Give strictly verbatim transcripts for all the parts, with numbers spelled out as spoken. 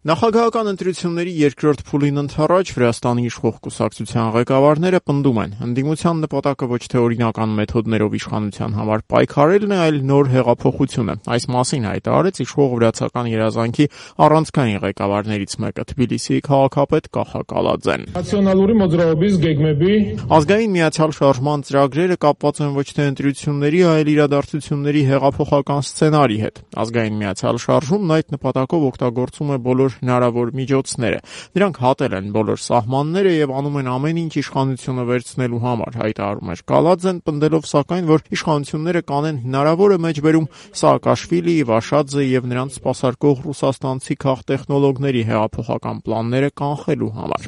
Նախագահական ընտրությունների երկրորդ փուլին ընդառաջ Վրաստանի իշխող կուսակցության ղեկավարները պնդում են, ընդդիմության նպատակը ոչ թե օրինական մեթոդներով իշխանության համար պայքարելն է, այլ նոր հեղափոխությունը։ Այս մասին հայտարարեց իշխող վրացական երազանքի առանցքային ղեկավարներից մեկը, Թբիլիսիի քաղաքապետ Կախա Կալաձեն։ Ազգային միացյալ շարժման ծրագրերը կապված են ոչ թե ընտրությունների, այլ իրադարձությունների հեղափոխական սցենարի հետ։ Ազգային միացյալ շարժումն այդ նպատակով օգտագործում է բոլոր հնարավոր միջոցները։ Նրանք հատել են բոլոր սահմանները եւ անում են ամեն ինչ իշխանությունը վերցնելու համար, հայտարարում էր Կալաձեն, պնդելով սակայն, որ իշխանությունները կանեն հնարավորը մեջբերում Սաակաշվիլիի, Վաշադզեի եւ նրանց սպասարկող ռուսաստանցի քաղտեխնոլոգների հեղափոխական պլանները կանխելու համար։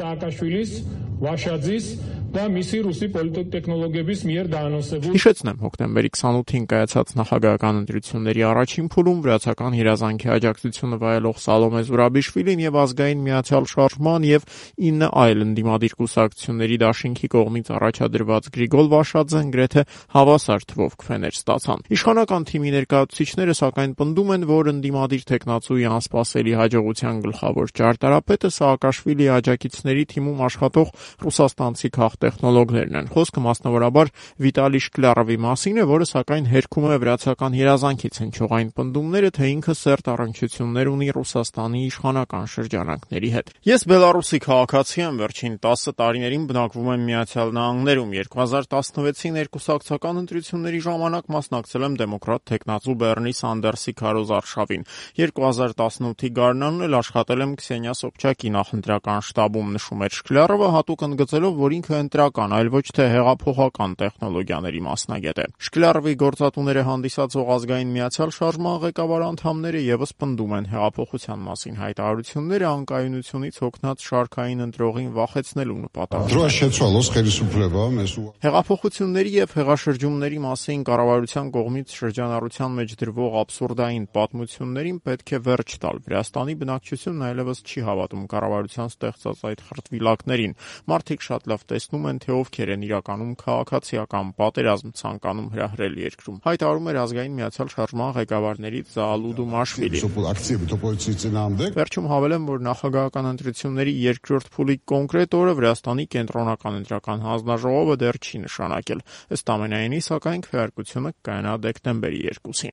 Հիշեցնեմ, հոկտեմբերի քսանութին կայացած նախագահական ընտրությունների առաջին փուլում վրացական երազանքի աջակցությունը վայելող Սալոմե Զուրաբիշվիլին եւ ազգային միացյալ շարժման եւ ինը այլ ընդդիմադիր կուսակցությունների դաշինքի կողմից առաջադրված Գրիգոլ Վաշադզեն գրեթե հավասար թվով քվեներ ստացան։ Իշխանական թիմի ներկայացուցիչները սակայն պնդում են, որ ընդդիմադիր տեխնացուի անսպասելի հաջողության գլխավոր ճարտարապետը Սաակաշվիլիի աջակիցների թիմում աշխատող ռուսաստանցի քաղտեխնոլոգներն են։ Խոսքը մասնավորաբար Վիտալի Շկլյարովի մասին է, որը սակայն հերքում է վրացական երազանքից հնչող այն պնդումները, թե ինքը սերտ առնչություններ ունի Ռուսաստանի իշխանական շրջանակների հետ։ Ես Բելարուսի քաղաքացի եմ, վերջին տասը տարիներին բնակվում եմ Միացյալ Նահանգներում։ երկու հազար տասնվեցի ներկուսակցական ընտրությունների ժամանակ մասնակցել եմ դեմոկրատ տեխնացու Բեռնի Սանդերսի քարոզարշավին։ երկու հազար տասնութի գարնանն էլ աշխատել եմ Քսենիա Սոբչակի նախընտրական շտաբում, նշում էր Շկլյարովը, հատուկ ընդգծելով, որ ինքը ընտրական, այլ ոչ թե հեղափոխական տեխնոլոգիաների մասնագետ է։ Շկլյարովի գործատուները հանդիսացող ազգային միացյալ շարժման ղեկավար անդամները եւս պնդում են հեղափոխության մասին հայտարարությունները անկայունությունից հոգնած շարքային ընտրողին վախեցնելու նպատակով։ Հեղափոխությունների եւ հեղաշրջումների մասին կառավարության կողմից շրջանառության մեջ դրվող աբսուրդային պատմություններին պետք է վերջ տալ։ Վրաստանի բնակչությունն այլևս չի հավատում կառավարության ստեղծած այդ խրտվիլակներին։ Մարդիկ շատ լավ տեսնում են, թե ովքեր են իրականում քաղաքացիական պատերազմ ցանկանում հրահրել երկրում, հայտարարում էր ազգային միացյալ շարժման ղեկավարներից Զաալու Դումաշվիլին։ Վերջում հավելեմ, որ նախագահական ընտրությունների երկրորդ փուլի կոնկրետ օրը Վրաստանի կենտրոնական ընտրական հանձնաժողովը դեռ չի նշանակել։ Ըստ ամենայնի, սակայն քվեարկությունը կայանա դեկտեմբերի երկուսին։